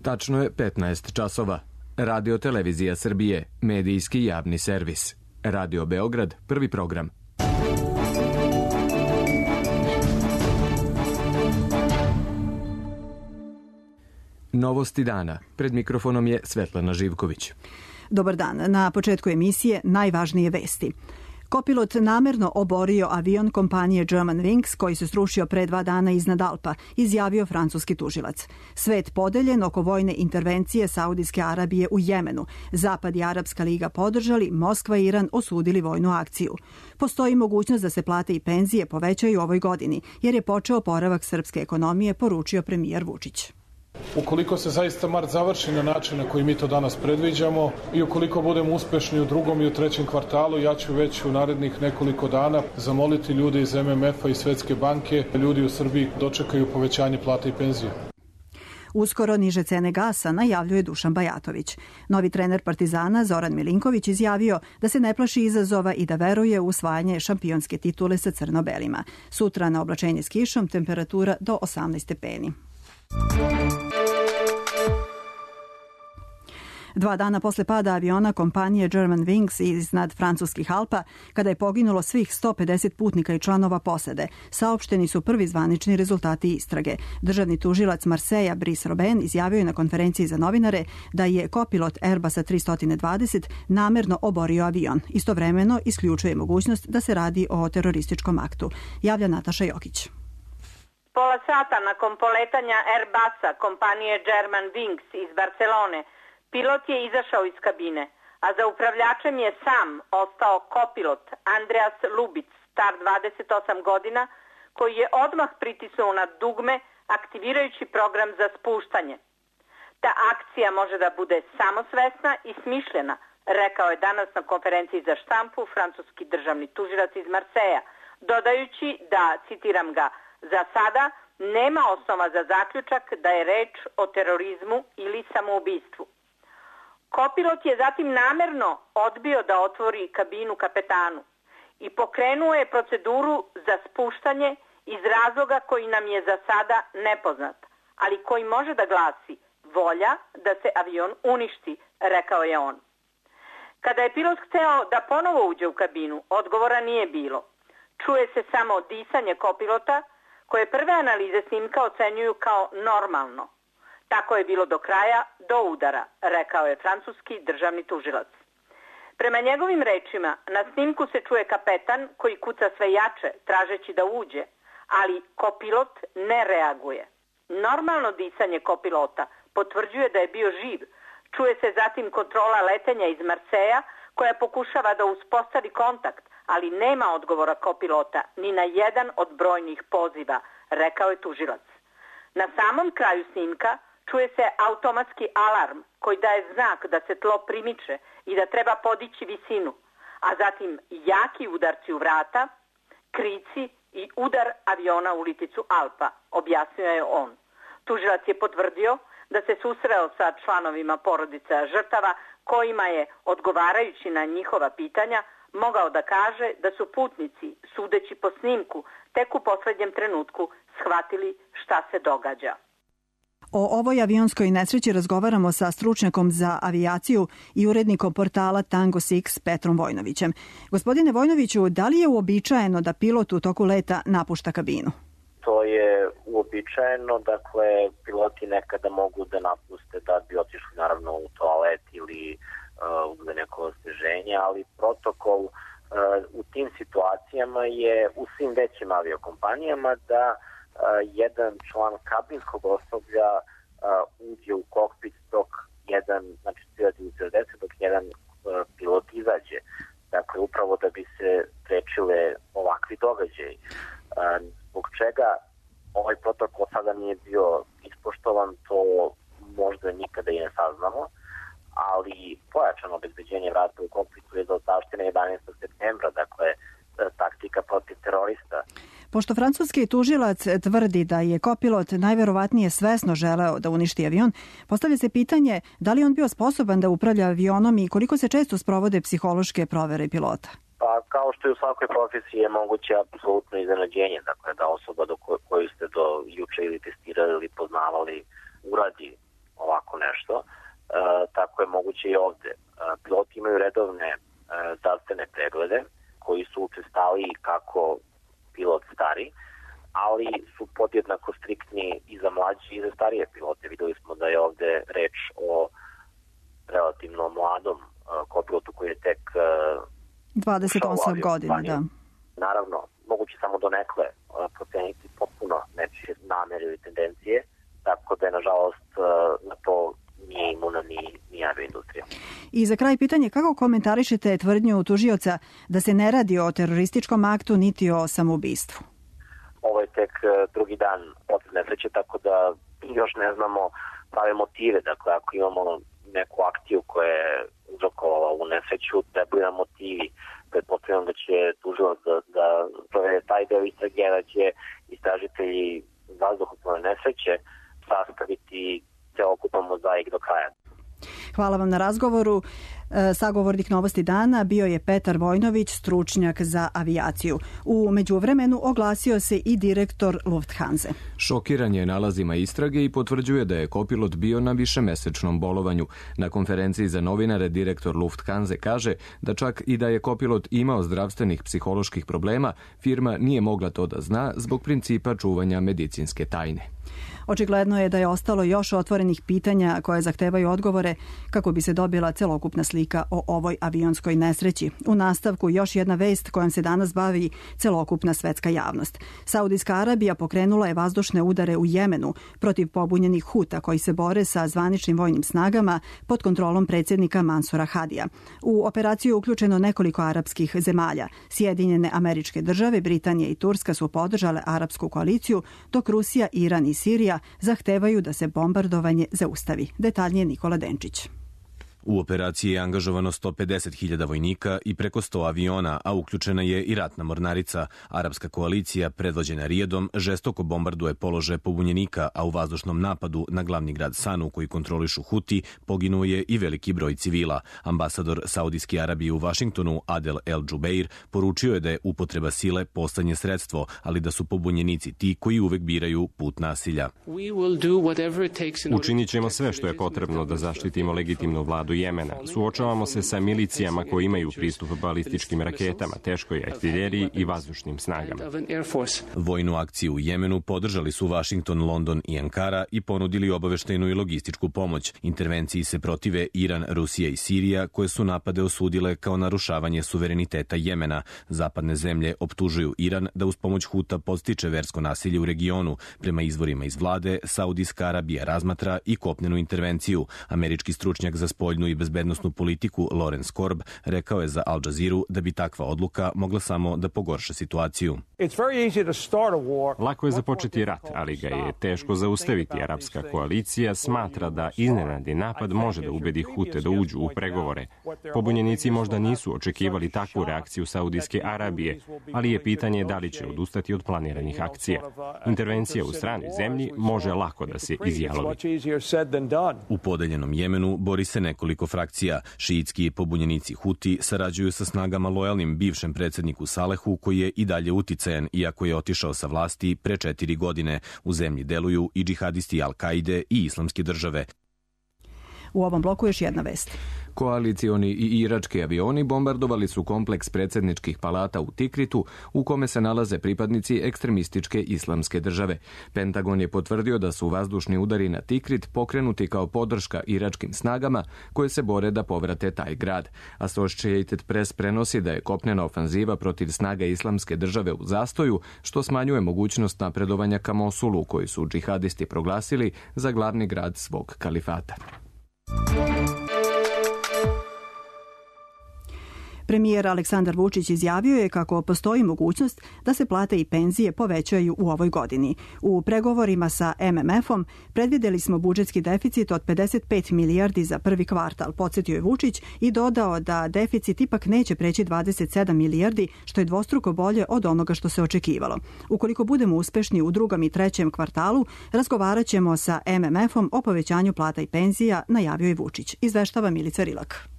Tačno je 15 časova. Radio Televizija Srbije, medijski javni servis. Radio Beograd, prvi program. Novosti dana. Pred mikrofonom je Svetlana Živković. Dobar dan. Na početku emisije najvažnije vesti. Kopilot namerno oborio avion kompanije Germanwings koji se srušio pre 2 dana iznad Alpa, izjavio francuski tužilac. Svet podeljen oko vojne intervencije Saudijske Arabije u Jemenu. Zapad i Arapska liga podržali, Moskva i Iran osudili vojnu akciju. Postoji mogućnost da se plate i penzije povećaju u ovoj godini, jer je počeo oporavak srpske ekonomije, poručio premijer Vučić. Ukoliko se zaista mart završi na način na koji mi to danas predviđamo i ukoliko budemo uspešni u drugom i u trećem kvartalu, ja ću već u narednih nekoliko dana zamoliti ljude iz MMF-a i Svetske banke, ljudi u Srbiji dočekaju povećanje plata i penzije. Uskoro niže cene gasa, najavljuje Dušan Bajatović. Novi trener Partizana Zoran Milinković izjavio da se ne plaši izazova i da veruje u usvajanje šampionske titule sa crno-belima. Sutra na oblačenje s kišom, temperatura do 18 stepeni. 2 dana posle pada aviona kompanije Germanwings iznad francuskih Alpa, kada je poginulo svih 150 putnika i članova posade, saopšteni su prvi zvanični rezultati istrage. Državni tužilac Marseja Brice Robben izjavio je na konferenciji za novinare da je kopilot Airbusa 320 namerno oborio avion. Istovremeno isključuje mogućnost da se radi o terorističkom aktu. Javlja Nataša Jokić. Pola sata nakon poletanja Airbusa kompanije Germanwings iz Barcelone, pilot je izašao iz kabine, a za upravljačem je sam ostao kopilot Andreas Lubic, star 28 godina, koji je odmah pritisnuo na dugme aktivirajući program za spuštanje. Ta akcija može da bude samosvesna i smišljena, rekao je danas na konferenciji za štampu francuski državni tužilac iz Marseja, dodajući da, citiram ga, za sada nema osnova za zaključak da je reč o terorizmu ili samoubistvu. Kopilot je zatim namerno odbio da otvori kabinu kapetanu i pokrenuo je proceduru za spuštanje iz razloga koji nam je za sada nepoznat, ali koji može da glasi volja da se avion uništi, rekao je on. Kada je pilot hteo da ponovo uđe u kabinu, odgovora nije bilo. Čuje se samo disanje kopilota, koje prve analize snimka ocenjuju kao normalno. Tako je bilo do kraja, do udara, rekao je francuski državni tužilac. Prema njegovim rečima, na snimku se čuje kapetan koji kuca sve jače, tražeći da uđe, ali kopilot ne reaguje. Normalno disanje kopilota potvrđuje da je bio živ. Čuje se zatim kontrola letenja iz Marseja, koja pokušava da uspostavi kontakt, ali nema odgovora kopilota ni na jedan od brojnih poziva, rekao je tužilac. Na samom kraju snimka čuje se automatski alarm koji daje znak da se tlo primiče i da treba podići visinu, a zatim jaki udarci u vrata, krici i udar aviona u liticu Alpa, objasnio je on. Tužilac je potvrdio da se susreo sa članovima porodica žrtava kojima je, odgovarajući na njihova pitanja, mogao da kaže da su putnici, sudeći po snimku, tek u poslednjem trenutku shvatili šta se događa. O ovoj avionskoj nesreći razgovaramo sa stručnjakom za avijaciju i urednikom portala Tango 6 Petrom Vojnovićem. Gospodine Vojnoviću, da li je uobičajeno da pilot u toku leta napušta kabinu? To je uobičajeno, dakle, piloti nekada mogu da napuste da bi otišli naravno u toalet ili uzeli neko osveženje, ali protokol u tim situacijama je u svim većim aviokompanijama da jedan član kabinskog osoblja uđe u kokpit dok jedan, znači dok jedan pilot izađe. Dakle, upravo da bi se sprečile ovakvi događaji. Zbog čega ovaj protokol sada nije bio ispoštovan, to možda nikada i ne saznamo, ali pojačano obezbeđenje vrata u kokpitu je do zaštine 11. septembra, dakle, taktika protiv terorista. Pošto francuski tužilac tvrdi da je kopilot najverovatnije svesno želeo da uništi avion, postavlja se pitanje da li on bio sposoban da upravlja avionom i koliko se često sprovode psihološke provere pilota. Pa kao što je u svakoj profesiji je moguće apsolutno iznenađenje, dakle da osoba koju ste do juče ili testirali ili poznavali uradi ovako će i ovde. Piloti imaju redovne zdravstvene preglede koji su učestaliji kako pilot stari, ali su podjednako striktni i za mlađe i za starije pilote. Videli smo da je ovde reč o relativno mladom kopilotu koji je tek 28 godina, da. Naravno, moguće samo donekle proceniti potpuno nečije namere ili tendencije, tako da je, nažalost, na to nije imuna ni avioindustrija. I za kraj pitanje, kako komentarišete tvrdnju tužioca da se ne radi o terorističkom aktu niti o samoubistvu? Ovo je tek drugi dan od nesreće, tako da još ne znamo prave motive. Dakle, ako imamo neku akciju koja je uzrokovala ovu nesreću, trebaju nam motivi. Pretpostavljam da će tužilac da provede taj deo istrage, da će istražitelji vazduhoplovne nesreće sastaviti celokupan mozaik do kraja. Hvala vam na razgovoru. Sagovornik Novosti dana bio je Petar Vojnović, stručnjak za avijaciju. U međuvremenu oglasio se i direktor Lufthanse. Šokiran je nalazima istrage i potvrđuje da je kopilot bio na višemesečnom bolovanju. Na konferenciji za novinare direktor Lufthanse kaže da čak i da je kopilot imao zdravstvenih psiholoških problema, firma nije mogla to da zna zbog principa čuvanja medicinske tajne. Očigledno je da je ostalo još otvorenih pitanja koje zahtevaju odgovore kako bi se dobila celokupna slika o ovoj avionskoj nesreći. U nastavku još jedna vest kojom se danas bavi celokupna svetska javnost. Saudijska Arabija pokrenula je vazdušne udare u Jemenu protiv pobunjenih Huta koji se bore sa zvaničnim vojnim snagama pod kontrolom predsjednika Mansura Hadija. U operaciju je uključeno nekoliko arapskih zemalja. Sjedinjene Američke Države, Britanija i Turska su podržale arapsku koaliciju, dok Rusija, Iran i Sirija zahtevaju da se bombardovanje zaustavi. Detaljnije Nikola Denčić. U operaciji je angažovano 150.000 vojnika i preko 100 aviona, a uključena je i ratna mornarica. Arapska koalicija, predvođena Rijadom, žestoko bombarduje položaje pobunjenika, a u vazdušnom napadu na glavni grad Sanu, koji kontrolišu Huti, poginuo je i veliki broj civila. Ambasador Saudijske Arabije u Vašingtonu, Adel El Džubeir, poručio je da je upotreba sile poslednje sredstvo, ali da su pobunjenici ti koji uvek biraju put nasilja. Učinit ćemo sve što je potrebno da zaštitimo legitimnu vladu Jemena. Suočavamo se sa milicijama koji imaju pristup balističkim raketama, teškoj artiljeriji i vazdušnim snagama. Vojnu akciju u Jemenu podržali su Vašington, London i Ankara i ponudili obaveštenu i logističku pomoć. Intervenciji se protive Iran, Rusija i Sirija, koje su napade osudile kao narušavanje suvereniteta Jemena. Zapadne zemlje optužuju Iran da uz pomoć Huta podstiče versko nasilje u regionu. Prema izvorima iz vlade, Saudijska Arabija razmatra i kopnenu intervenciju. Američki stručnjak za spoljnu i bezbednosnu politiku Lawrence Korb rekao je za Al Jazeera da bi takva odluka mogla samo da pogorša situaciju. Lako je započeti rat, ali ga je teško zaustaviti. Arapska koalicija smatra da iznenadni napad može da ubedi Hute da uđu u pregovore. Pobunjenici možda nisu očekivali takvu reakciju Saudijske Arabije, ali je pitanje da li će odustati od planiranih akcija. Intervencija u stranoj zemlji može lako da se izjalovi. U podeljenom Jemenu bori se nekoliko frakcija. Šiitski pobunjenici Huti sarađuju sa snagama lojalnim bivšem predsjedniku Salehu, koji je i dalje uticajan, iako je otišao sa vlasti pre 4 godine. U zemlji deluju i džihadisti Al-Kaide i Islamske države. U ovom bloku još jedna vest. Koalicioni i irački avioni bombardovali su kompleks predsjedničkih palata u Tikritu, u kome se nalaze pripadnici ekstremističke Islamske države. Pentagon je potvrdio da su vazdušni udari na Tikrit pokrenuti kao podrška iračkim snagama koje se bore da povrate taj grad. Associated Press prenosi da je kopnena ofanziva protiv snaga Islamske države u zastoju, što smanjuje mogućnost napredovanja ka Mosulu, koji su džihadisti proglasili za glavni grad svog kalifata. Premijer Aleksandar Vučić izjavio je kako postoji mogućnost da se plate i penzije povećaju u ovoj godini. U pregovorima sa MMF-om predvideli smo budžetski deficit od 55 milijardi za prvi kvartal, podsjetio je Vučić i dodao da deficit ipak neće preći 27 milijardi, što je dvostruko bolje od onoga što se očekivalo. Ukoliko budemo uspešni u drugom i trećem kvartalu, razgovarat ćemo sa MMF-om o povećanju plata i penzija, najavio je Vučić. Izveštava Milica Rilak.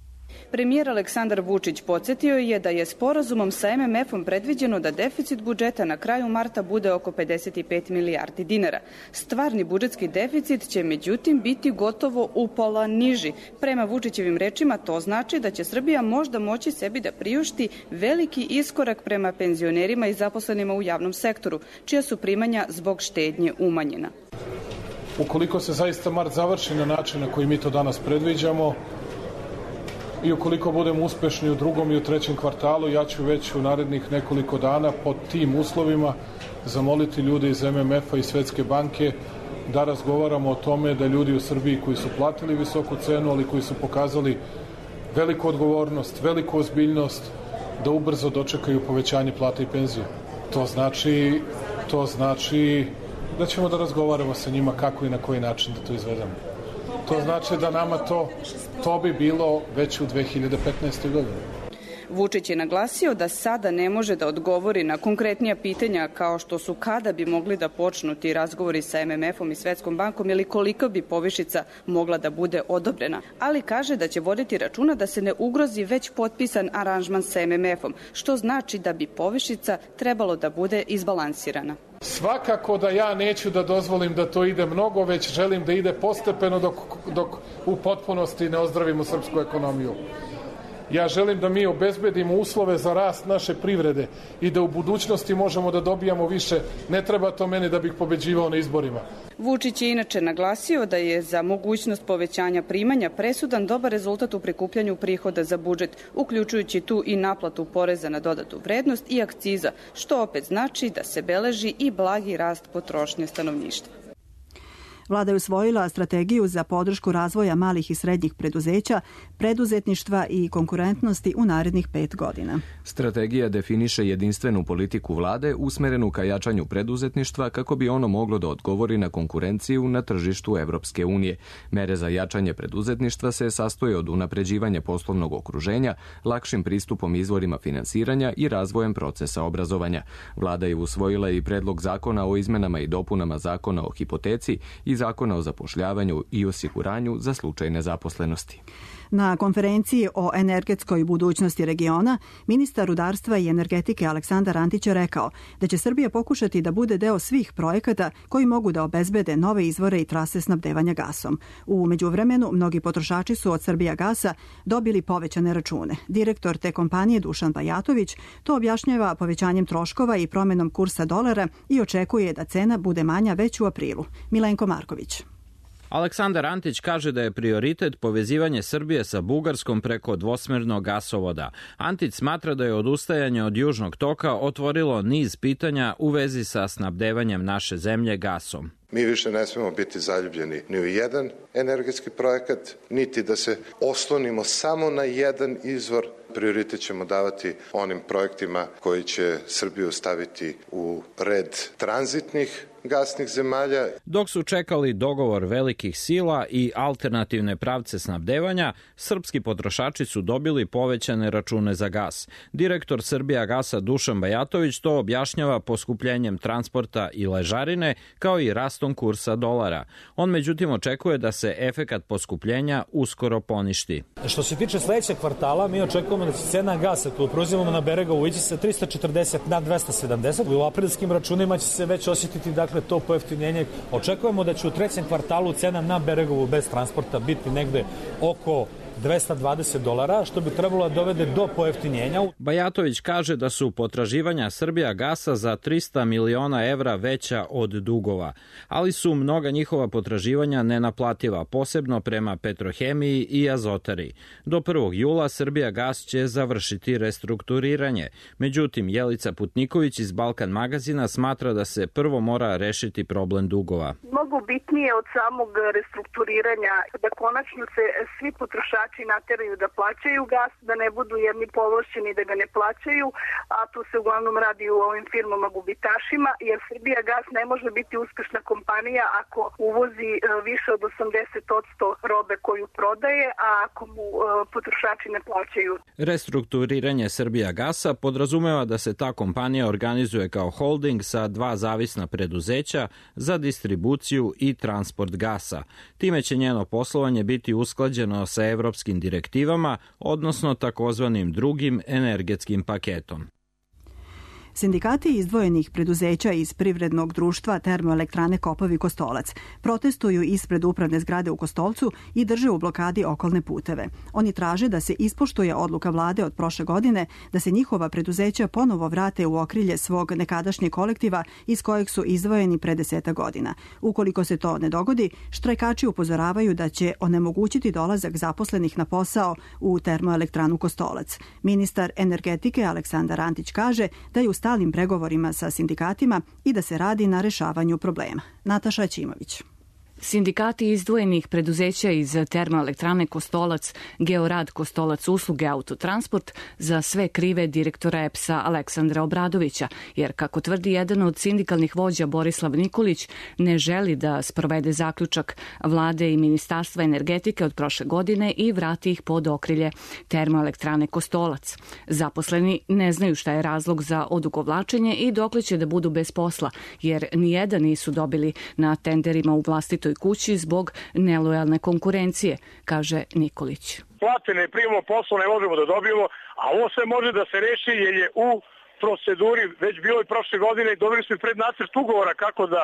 Premijer Aleksandar Vučić podsjetio je da je sporazumom sa MMF-om predviđeno da deficit budžeta na kraju marta bude oko 55 milijardi dinara. Stvarni budžetski deficit će međutim biti gotovo upola niži. Prema Vučićevim rečima to znači da će Srbija možda moći sebi da priušti veliki iskorak prema penzionerima i zaposlenima u javnom sektoru, čija su primanja zbog štednje umanjena. Ukoliko se zaista mart završi na način na koji mi to danas predviđamo i ukoliko budemo uspešni u drugom i u trećem kvartalu, ja ću već u narednih nekoliko dana pod tim uslovima zamoliti ljude iz MMF-a i Svetske banke da razgovaramo o tome da ljudi u Srbiji koji su platili visoku cenu, ali koji su pokazali veliku odgovornost, veliku ozbiljnost, da ubrzo dočekaju povećanje plata i penzija. To znači da ćemo da razgovaramo sa njima kako i na koji način da to izvedemo. To znači da nama to bi bilo već u 2015. godini. Vučić je naglasio da sada ne može da odgovori na konkretnija pitanja kao što su kada bi mogli da počnu ti razgovori sa MMF-om i Svetskom bankom ili koliko bi povišica mogla da bude odobrena, ali kaže da će voditi računa da se ne ugrozi već potpisan aranžman sa MMF-om, što znači da bi povišica trebalo da bude izbalansirana. Svakako da ja neću da dozvolim da to ide mnogo, već želim da ide postepeno dok u potpunosti ne ozdravimo srpsku ekonomiju. Ja želim da mi obezbedimo uslove za rast naše privrede i da u budućnosti možemo da dobijamo više. Ne treba to meni da bih pobeđivao na izborima. Vučić je inače naglasio da je za mogućnost povećanja primanja presudan dobar rezultat u prikupljanju prihoda za budžet, uključujući tu i naplatu poreza na dodatu vrednost i akciza, što opet znači da se beleži i blagi rast potrošnje stanovništva. Vlada je usvojila strategiju za podršku razvoja malih i srednjih preduzeća, preduzetništva i konkurentnosti u narednih 5 godina. Strategija definiše jedinstvenu politiku vlade usmerenu ka jačanju preduzetništva kako bi ono moglo da odgovori na konkurenciju na tržištu Evropske unije. Mere za jačanje preduzetništva se sastoje od unapređivanja poslovnog okruženja, lakšim pristupom izvorima finansiranja i razvojem procesa obrazovanja. Vlada je usvojila i predlog zakona o izmenama i dopunama zakona o hipoteci i zakona o zapošljavanju i osiguranju za slučaj nezaposlenosti. Na konferenciji o energetskoj budućnosti regiona, ministar rudarstva i energetike Aleksandar Antić je rekao da će Srbija pokušati da bude deo svih projekata koji mogu da obezbede nove izvore i trase snabdevanja gasom. U međuvremenu, mnogi potrošači su od Srbijagasa dobili povećane račune. Direktor te kompanije Dušan Bajatović to objašnjava povećanjem troškova i promenom kursa dolara i očekuje da cena bude manja već u aprilu. Milenko Marković. Aleksandar Antić kaže da je prioritet povezivanje Srbije sa Bugarskom preko dvosmernog gasovoda. Antić smatra da je odustajanje od Južnog toka otvorilo niz pitanja u vezi sa snabdevanjem naše zemlje gasom. Mi više ne smemo biti zaljubljeni ni u jedan energetski projekat, niti da se oslonimo samo na jedan izvor. Prioritet ćemo davati onim projektima koji će Srbiju staviti u red tranzitnih gasnih zemalja. Dok su čekali dogovor velikih sila i alternativne pravce snabdevanja, srpski potrošači su dobili povećane račune za gas. Direktor Srbijagasa Dušan Bajatović to objašnjava poskupljenjem transporta i ležarine, kao i rastom kursa dolara. On međutim očekuje da se efekat poskupljenja uskoro poništi. Što se tiče sledećeg kvartala, mi očekujemo da će cena gasa koju proizvodimo na Beregovu ići sa 340 na 270. U aprilskim računima će se već osjetiti to pojeftinjenje. Očekujemo da će u trećem kvartalu cena na Beregovu bez transporta biti negde oko $220, što bi trebalo da dovede do pojeftinjenja. Bajatović kaže da su potraživanja Srbijagasa za 300 miliona evra veća od dugova, ali su mnoga njihova potraživanja nenaplativa, posebno prema Petrohemiji i Azotari. Do 1. jula Srbijagas će završiti restrukturiranje. Međutim, Jelica Putniković iz Balkan magazina smatra da se prvo mora rešiti problem dugova. Mnogo bitnije od samog restrukturiranja da konačno se svi potrošači nateraju da plaćaju gas, da ne budu jedni povlašćeni da ga ne plaćaju, a tu se uglavnom radi u ovim firmama gubitašima, jer Srbijagas ne može biti uspešna kompanija ako uvozi više od 80% robe koju prodaje, a ako mu potrošači ne plaćaju. Restrukturiranje Srbijagasa podrazumeva da se ta kompanija organizuje kao holding sa 2 zavisna preduzeća za distribuciju i transport gasa. Time će njeno poslovanje biti usklađeno sa evropskim direktivama, odnosno takozvanim drugim energetskim paketom. Sindikati izdvojenih preduzeća iz privrednog društva Termoelektrane Kopovi Kostolac protestuju ispred upravne zgrade u Kostolcu i drže u blokadi okolne puteve. Oni traže da se ispoštuje odluka vlade od prošle godine da se njihova preduzeća ponovo vrate u okrilje svog nekadašnjeg kolektiva iz kojeg su izdvojeni pre 10 godina. Ukoliko se to ne dogodi, štrajkači upozoravaju da će onemogućiti dolazak zaposlenih na posao u Termoelektranu Kostolac. Ministar energetike Aleksandar Antić kaže da je u stalnim pregovorima sa sindikatima i da se radi na rešavanju problema. Nataša Ćimović. Sindikati izdvojenih preduzeća iz Termoelektrane Kostolac, Georad Kostolac usluge Autotransport za sve krive direktora EPS-a Aleksandra Obradovića, jer kako tvrdi jedan od sindikalnih vođa Borislav Nikolić, ne želi da sprovede zaključak vlade i Ministarstva energetike od prošle godine i vrati ih pod okrilje Termoelektrane Kostolac. Zaposleni ne znaju šta je razlog za odugovlačenje i dokle će da budu bez posla, jer nijedan nisu dobili na tenderima u vlastitoj kući zbog nelojalne konkurencije, kaže Nikolić. Plate ne primamo, posao ne možemo da dobijemo, a ovo sve može da se reši jer je u proceduri već bilo i prošle godine i dobili smo pred nacrt ugovora kako da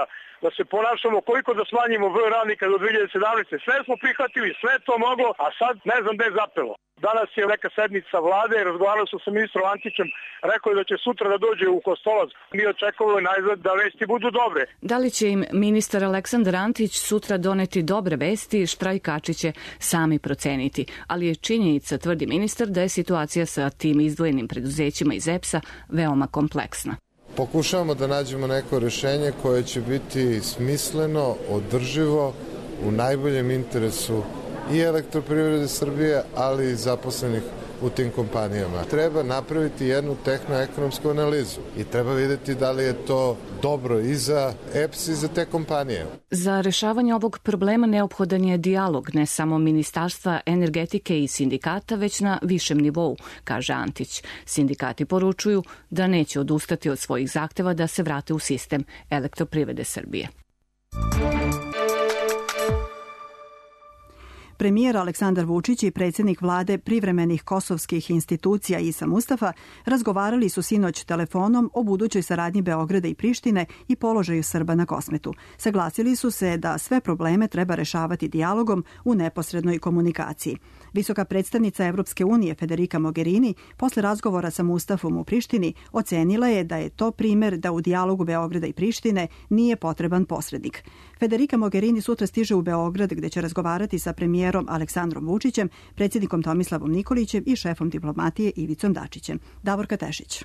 se ponašamo, koliko da smanjimo broj radnika do 2017. Sve smo prihvatili, sve to moglo, a sad ne znam gde je zapelo. Danas je neka sednica vlade, razgovarao sam sa ministrom Antićem, rekao je da će sutra da dođe u Kostolac. Mi očekujemo najzad da vesti budu dobre. Da li će im ministar Aleksandar Antić sutra doneti dobre vesti, štrajkači će sami proceniti. Ali je činjenica, tvrdi ministar, da je situacija sa tim izdvojenim preduzećima iz EPS-a veoma kompleksna. Pokušavamo da nađemo neko rešenje koje će biti smisleno, održivo, u najboljem interesu i Elektroprivrede Srbije, ali i zaposlenih u tim kompanijama. Treba napraviti jednu tehnoekonomsku analizu i treba videti da li je to dobro i za EPS i za te kompanije. Za rešavanje ovog problema neophodan je dijalog ne samo Ministarstva energetike i sindikata, već na višem nivou, kaže Antić. Sindikati poručuju da neće odustati od svojih zahteva da se vrate u sistem Elektroprivrede Srbije. Premijer Aleksandar Vučić i predsjednik vlade privremenih kosovskih institucija Isa Mustafa razgovarali su sinoć telefonom o budućoj saradnji Beograda i Prištine i položaju Srba na Kosmetu. Saglasili su se da sve probleme treba rešavati dijalogom u neposrednoj komunikaciji. Visoka predstavnica Evropske unije Federica Mogherini posle razgovora sa Mustafom u Prištini ocenila je da je to primer da u dijalogu Beograda i Prištine nije potreban posrednik. Federica Mogherini sutra stiže u Beograd gde će razgovarati sa premijerom Aleksandrom Vučićem, predsjednikom Tomislavom Nikolićem i šefom diplomatije Ivicom Dačićem. Davorka Tešić.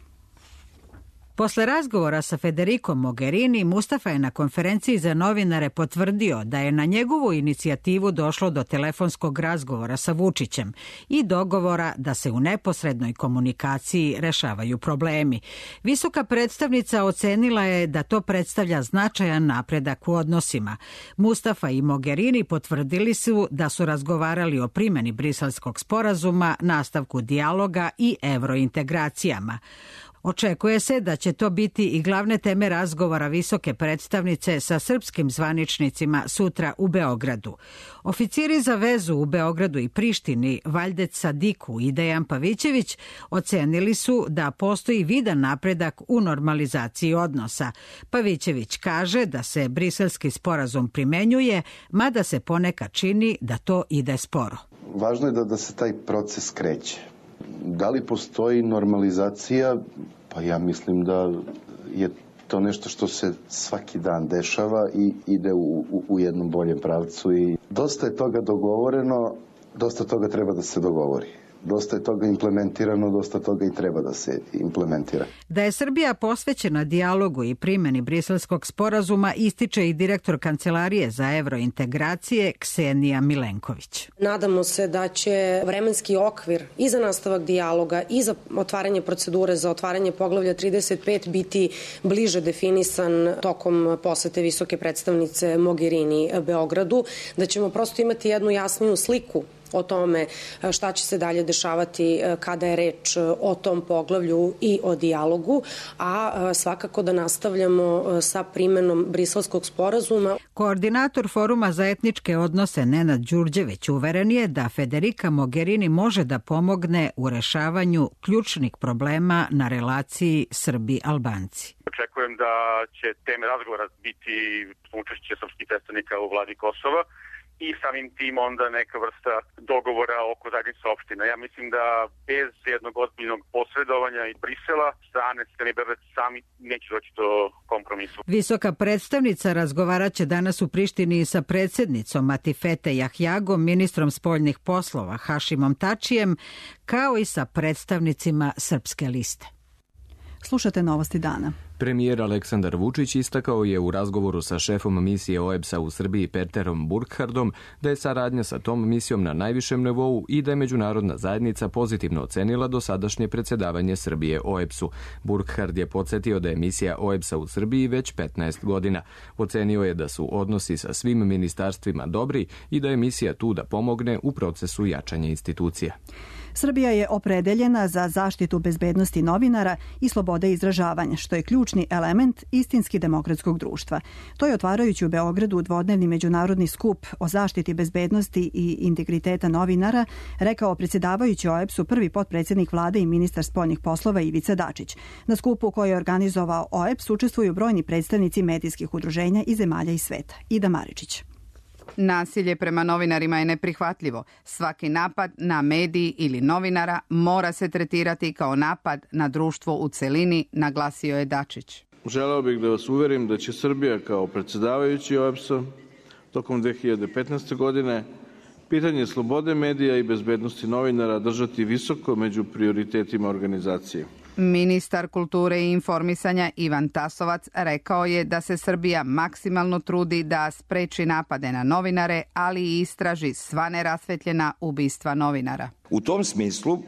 Posle razgovora sa Federicom Mogherini, Mustafa je na konferenciji za novinare potvrdio da je na njegovu inicijativu došlo do telefonskog razgovora sa Vučićem i dogovora da se u neposrednoj komunikaciji rešavaju problemi. Visoka predstavnica ocenila je da to predstavlja značajan napredak u odnosima. Mustafa i Mogherini potvrdili su da su razgovarali o primjeni Briselskog sporazuma, nastavku dijaloga i evrointegracijama. Očekuje se da će to biti i glavne teme razgovora visoke predstavnice sa srpskim zvaničnicima sutra u Beogradu. Oficiri za vezu u Beogradu i Prištini Valjdet Sadiku i Dejan Pavićević ocenili su da postoji vidan napredak u normalizaciji odnosa. Pavićević kaže da se briselski sporazum primenjuje, mada se ponekad čini da to ide sporo. Važno je da se taj proces kreće. Da li postoji normalizacija? Pa ja mislim da je to nešto što se svaki dan dešava i ide u jednom boljem pravcu. I dosta je toga dogovoreno, dosta toga treba da se dogovori. Dosta je toga implementirano, dosta toga i treba da se implementira. Da je Srbija posvećena dijalogu i primjeni Briselskog sporazuma ističe i direktor Kancelarije za evrointegracije Ksenija Milenković. Nadamo se da će vremenski okvir i za nastavak dijaloga i za otvaranje procedure za otvaranje poglavlja 35 biti bliže definisan tokom posete visoke predstavnice Mogherini Beogradu, da ćemo prosto imati jednu jasniju sliku o tome šta će se dalje dešavati kada je reč o tom poglavlju i o dijalogu, a svakako da nastavljamo sa primenom Briselskog sporazuma. Koordinator Foruma za etničke odnose Nenad Đurđević uveren je da Federica Mogherini može da pomogne u rešavanju ključnih problema na relaciji Srbi-Albanci. Očekujem da će teme razgovora biti učešće srpskih predstavnika u vladi Kosova i samim tim onda neka vrsta dogovora oko zajednice opština. Ja mislim da bez jednog ozbiljnog posredovanja i Brisela strane Crne i Beograd sami neće doći do kompromisu. Visoka predstavnica razgovaraće danas u Prištini sa predsjednicom Atifete Jahjagom, ministrom spoljnih poslova Hašimom Tačijem, kao i sa predstavnicima Srpske liste. Slušate Novosti dana. Premijer Aleksandar Vučić istakao je u razgovoru sa šefom misije OEBS-a u Srbiji Peterom Burkhardom da je saradnja sa tom misijom na najvišem nivou i da je međunarodna zajednica pozitivno ocenila dosadašnje predsjedavanje Srbije OEBS-u. Burkhard je podsjetio da je misija OEBS-a u Srbiji već 15 godina. Ocenio je da su odnosi sa svim ministarstvima dobri i da je misija tu da pomogne u procesu jačanja institucija. Srbija je opredeljena za zaštitu bezbednosti novinara i slobode izražavanja, što je ključni element istinski demokratskog društva. To je otvarajući u Beogradu dvodnevni međunarodni skup o zaštiti bezbednosti i integriteta novinara rekao predsjedavajući OEBS-u prvi potpredsjednik vlade i ministar spoljnih poslova Ivica Dačić. Na skupu koji je organizovao OEBS učestvuju brojni predstavnici medijskih udruženja i zemalja iz sveta. Ida Maričić. Nasilje prema novinarima je neprihvatljivo. Svaki napad na mediji ili novinara mora se tretirati kao napad na društvo u celini, naglasio je Dačić. Želeo bih da vas uverim da će Srbija kao predsjedavajući OEBS-a tokom 2015. godine pitanje slobode medija i bezbednosti novinara držati visoko među prioritetima organizacije. Ministar kulture i informisanja Ivan Tasovac rekao je da se Srbija maksimalno trudi da spreči napade na novinare, ali i istraži sva nerasvetljena ubistva novinara. U tom smislu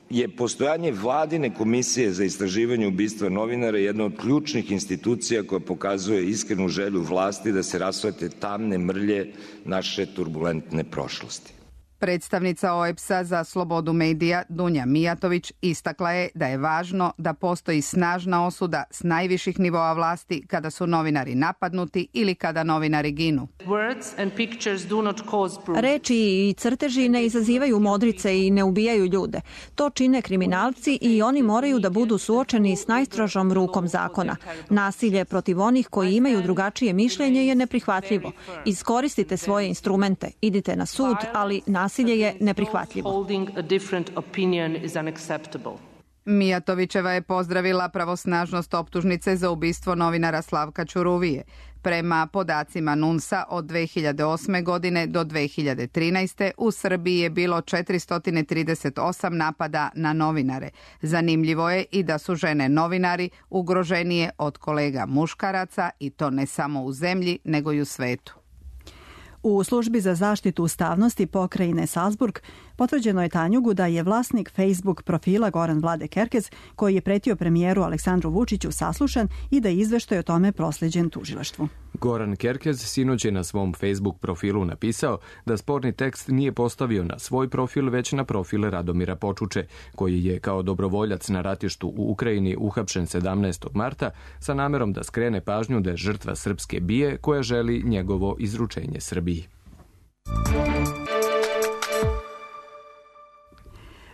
je postojanje vladine komisije za istraživanje ubistva novinara jedna od ključnih institucija koja pokazuje iskrenu želju vlasti da se rasvetle tamne mrlje naše turbulentne prošlosti. Predstavnica OEBS-a za slobodu medija Dunja Mijatović istakla je da je važno da postoji snažna osuda s najviših nivoa vlasti kada su novinari napadnuti ili kada novinari ginu. Reči i crteži ne izazivaju modrice i ne ubijaju ljude. To čine kriminalci i oni moraju da budu suočeni s najstrožom rukom zakona. Nasilje protiv onih koji imaju drugačije mišljenje je neprihvatljivo. Iskoristite svoje instrumente, idite na sud, ali nasilje je neprihvatljivo. Mijatovićeva je pozdravila pravosnažnost optužnice za ubistvo novinara Slavka Ćuruvije. Prema podacima NUNS-a od 2008. godine do 2013. u Srbiji je bilo 438 napada na novinare. Zanimljivo je i da su žene novinari ugroženije od kolega muškaraca i to ne samo u zemlji nego i u svetu. U službi za zaštitu ustavnosti pokrajine Salzburg potvrđeno je Tanjugu da je vlasnik Facebook profila Goran Vlade Kerkez, koji je pretio premijeru Aleksandru Vučiću, saslušan i da je izveštaj o tome prosleđen tužilaštvu. Goran Kerkez sinoć je na svom Facebook profilu napisao da sporni tekst nije postavio na svoj profil, već na profil Radomira Počuče, koji je kao dobrovoljac na ratištu u Ukrajini uhapšen 17. marta sa namerom da skrene pažnju da je žrtva srpske bije koja želi njegovo izručenje Srbiji.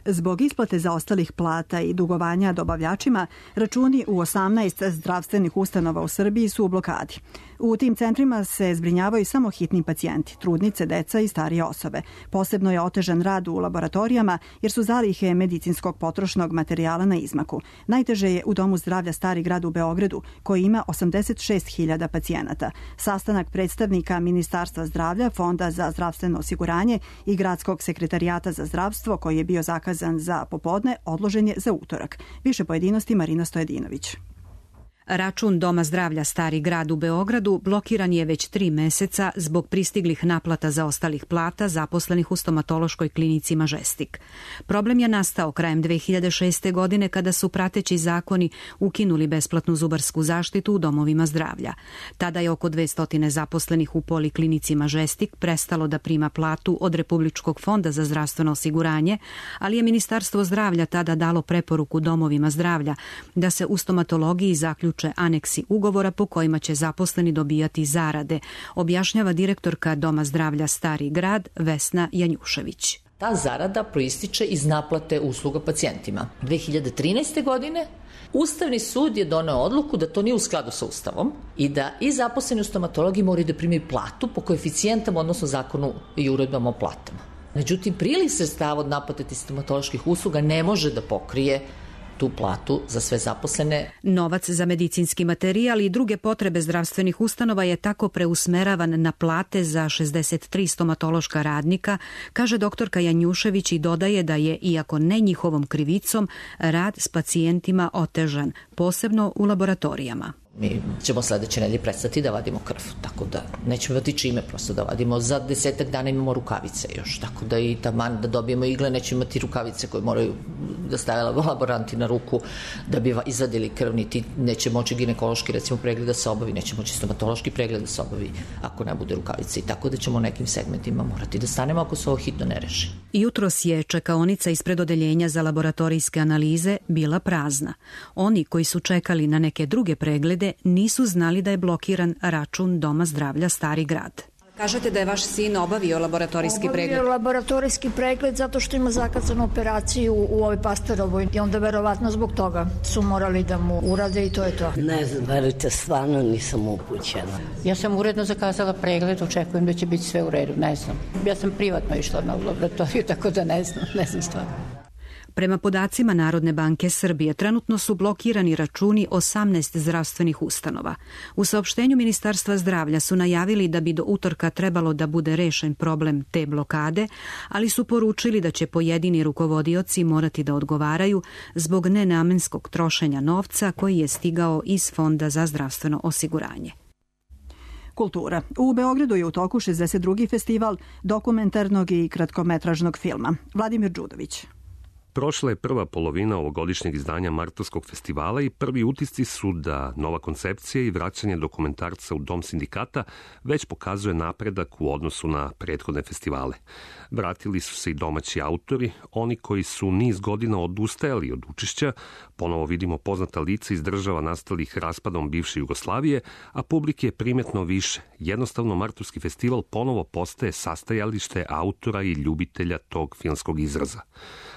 Zbog isplate zaostalih plata i dugovanja dobavljačima, računi u 18 zdravstvenih ustanova u Srbiji su u blokadi. U tim centrima se zbrinjavaju samo hitni pacijenti, trudnice, deca i starije osobe. Posebno je otežan rad u laboratorijama jer su zalihe medicinskog potrošnog materijala na izmaku. Najteže je u Domu zdravlja Stari grad u Beogradu, koji ima 86.000 pacijenata. Sastanak predstavnika Ministarstva zdravlja, Fonda za zdravstveno osiguranje i Gradskog sekretarijata za zdravstvo, koji je bio zakazan za popodne, odložen je za utorak. Više pojedinosti Marina Stojedinović. Račun Doma zdravlja Stari grad u Beogradu blokiran je već 3 meseca zbog pristiglih naplata zaostalih plata zaposlenih u stomatološkoj klinici Mažestik. Problem je nastao krajem 2006. godine kada su prateći zakoni ukinuli besplatnu zubarsku zaštitu u domovima zdravlja. Tada je oko 200 zaposlenih u poliklinici Mažestik prestalo da prima platu od Republičkog fonda za zdravstveno osiguranje, ali je Ministarstvo zdravlja tada dalo preporuku domovima zdravlja da se u stomatologiji zaključe aneksi ugovora po kojima će zaposleni dobijati zarade, objašnjava direktorka Doma zdravlja Stari grad Vesna Janjušević. Ta zarada proističe iz naplate usluga pacijentima. 2013. godine Ustavni sud je doneo odluku da to nije u skladu sa Ustavom i da i zaposleni u stomatologiji moraju da primaju platu po koeficijentama, odnosno zakonu i uredbama o platama. Međutim, priliv sredstava od naplate stomatoloških usluga ne može da pokrije tu platu za sve zaposlene. Novac za medicinski materijal i druge potrebe zdravstvenih ustanova je tako preusmeravan na plate za 63 stomatološka radnika, kaže doktorka Janjušević i dodaje da je, iako ne njihovom krivicom, rad s pacijentima otežan, posebno u laboratorijama. Mi ćemo sledeće nedelje prestati da vadimo krv, tako da nećemo imati čime prosto da vadimo. Za 10 dana imamo rukavice još, tako da i taman da dobijemo igle nećemo imati rukavice koje moraju da stave laboranti na ruku da bi izvadili krv, niti neće moći ginekološki recimo pregled da se obavi, neće moći stomatološki pregled da se obavi ako ne bude rukavice i tako da ćemo u nekim segmentima morati da stanemo ako se ovo hitno ne reši. Jutros je čekaonica ispred odeljenja za laboratorijske analize bila prazna. Oni koji su čekali na neke druge preglede nisu znali da je blokiran račun Doma zdravlja Stari grad. Kažete da je vaš sin obavio laboratorijski pregled? Obavio laboratorijski pregled zato što ima zakazanu operaciju u ovoj Pasterovoj i onda verovatno zbog toga su morali da mu urade i to je to. Ne znam, verujte, stvarno nisam upućena. Ja sam uredno zakazala pregled, očekujem da će biti sve u redu, ne znam. Ja sam privatno išla na laboratoriju, tako da ne znam stvarno. Prema podacima Narodne banke Srbije, trenutno su blokirani računi 18 zdravstvenih ustanova. U saopštenju Ministarstva zdravlja su najavili da bi do utorka trebalo da bude rešen problem te blokade, ali su poručili da će pojedini rukovodioci morati da odgovaraju zbog nenamenskog trošenja novca koji je stigao iz Fonda za zdravstveno osiguranje. Kultura. U Beogradu je u toku 62. festival dokumentarnog i kratkometražnog filma. Vladimir Đudović. Prošla je prva polovina ovogodišnjeg izdanja Martovskog festivala i prvi utisci su da nova koncepcija i vraćanje dokumentarca u Dom sindikata već pokazuje napredak u odnosu na prethodne festivale. Vratili su se i domaći autori, oni koji su niz godina odustajali od učešća, ponovo vidimo poznata lica iz država nastalih raspadom bivše Jugoslavije, a publike je primetno više. Jednostavno, Martovski festival ponovo postaje sastajalište autora i ljubitelja tog filmskog izraza.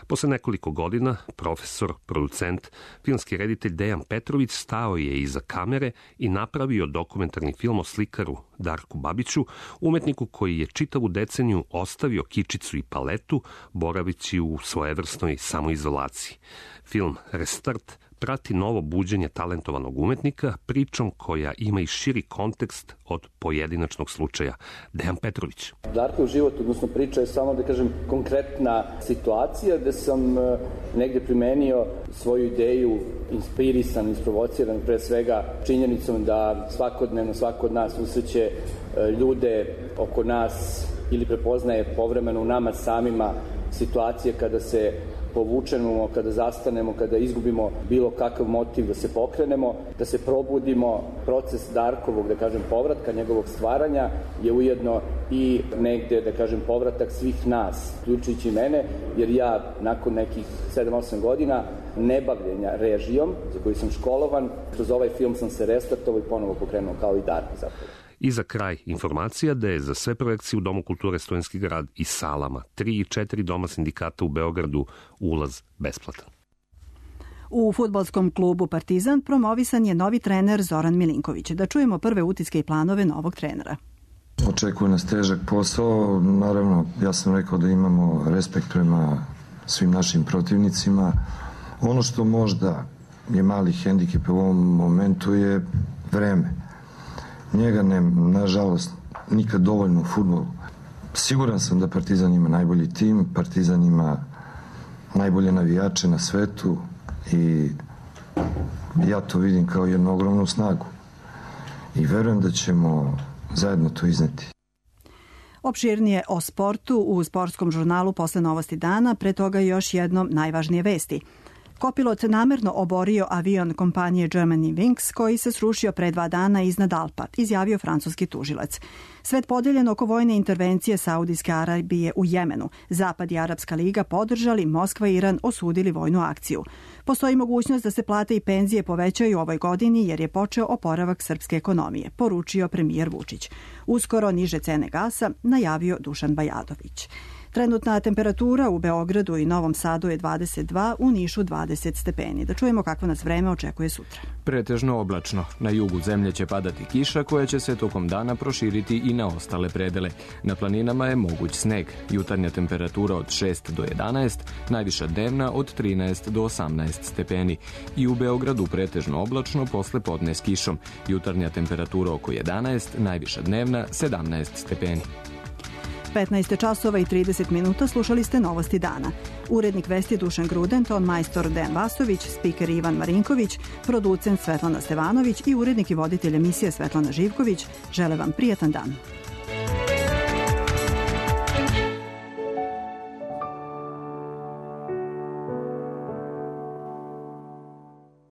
Posle nekoliko godina, profesor, producent, filmski reditelj Dejan Petrović stao je iza kamere i napravio dokumentarni film o slikaru Darku Babiću, umetniku koji je čitavu deceniju ostavio kičicu i paletu, boravići u svojevrsnoj samoizolaciji. Film Restart prati novo buđenje talentovanog umetnika pričom koja ima i širi kontekst od pojedinačnog slučaja. Dejan Petrović. Darkov život, odnosno priča je samo, da kažem, konkretna situacija gde sam negde primenio svoju ideju, inspirisan, isprovociran pre svega činjenicom da svakodnevno svako od nas susreće ljude oko nas ili prepoznaje povremeno u nama samima situacije kada se povučemo, kada zastanemo, kada izgubimo bilo kakav motiv da se pokrenemo, da se probudimo. Proces Darkovog, da kažem, povratka, njegovog stvaranja je ujedno i negde, da kažem, povratak svih nas, uključujući mene, jer ja nakon nekih 7-8 godina nebavljenja režijom, za koju sam školovan, kroz ovaj film sam se restartovao i ponovo pokrenuo kao i Darko zapravo. I za kraj informacija da je za sve projekcije u Domu kulture Studentski grad i salama 3 i 4 Doma sindikata u Beogradu ulaz besplatan. U fudbalskom klubu Partizan promovisan je novi trener Zoran Milinković. Da čujemo prve utiske i planove novog trenera. Očekuje nas težak posao. Naravno, ja sam rekao da imamo respekt prema svim našim protivnicima. Ono što možda je mali hendikep u ovom momentu je vreme. Njega nema, nažalost, nikad dovoljno u fudbalu. Siguran sam da Partizan ima najbolji tim, Partizan ima najbolje navijače na svetu i Ja to vidim kao jednu ogromnu snagu i verujem da ćemo zajedno to izneti. Opširnije o sportu u sportskom žurnalu posle novosti dana, pre toga još jednom najvažnije vesti. Kopilot namerno oborio avion kompanije Germanwings koji se srušio pre 2 dana iznad Alpa, izjavio francuski tužilac. Svet podeljen oko vojne intervencije Saudijske Arabije u Jemenu. Zapad i Arapska liga podržali, Moskva i Iran osudili vojnu akciju. Postoji mogućnost da se plate i penzije povećaju u ovoj godini jer je počeo oporavak srpske ekonomije, poručio premijer Vučić. Uskoro niže cene gasa najavio Dušan Bajadović. Trenutna temperatura u Beogradu i Novom Sadu je 22, u Nišu 20 stepeni. Da čujemo kako nas vreme očekuje sutra. Pretežno oblačno. Na jugu zemlje će padati kiša koja će se tokom dana proširiti i na ostale predele. Na planinama je moguć sneg. Jutarnja temperatura od 6 do 11, najviša dnevna od 13 do 18 stepeni. I u Beogradu pretežno oblačno posle podne s kišom. Jutarnja temperatura oko 11, najviša dnevna 17 stepeni. 15 časova i 30 minuta slušali ste novosti dana. Urednik vesti Dušan Gruden, ton majstor Dejan Vasović, spiker Ivan Marinković, producent Svetlana Stevanović i urednik i voditelj emisije Svetlana Živković žele vam prijatan dan.